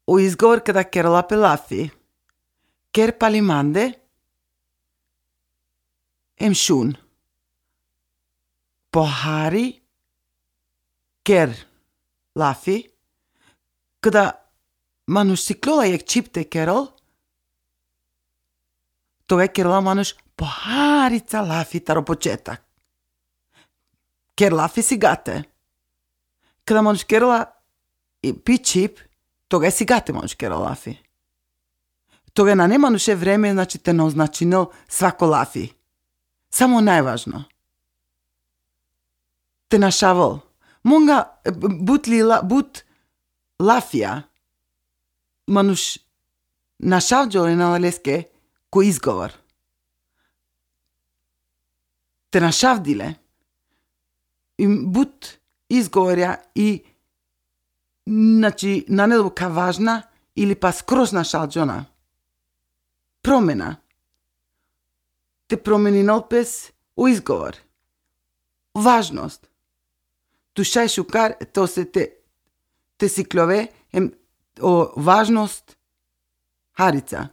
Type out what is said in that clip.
o izgovor kada Kerola pelafi. Ker palimande emshun. Pohari ker lafi. Kada manush siklola jek čipte Kerol, tога Керола manush poharica lafi taro početak. Ker lafi si gate. Kada manush Kerola pi čip, tога si gate manush Kerola lafi. Тога на немануше време, значи те наозначинил свако лафи. Само најважно. Те нашавал. Монга бут лафија. Мануш нашавджо на леске ко изговор. Те нашавдиле. Им бут изговорја и значи нанелука важна или па скроз нашалджона. Промена. Те промени налпес у изговор. Важност. Тушај шукар, то се те сиклове о важност харица.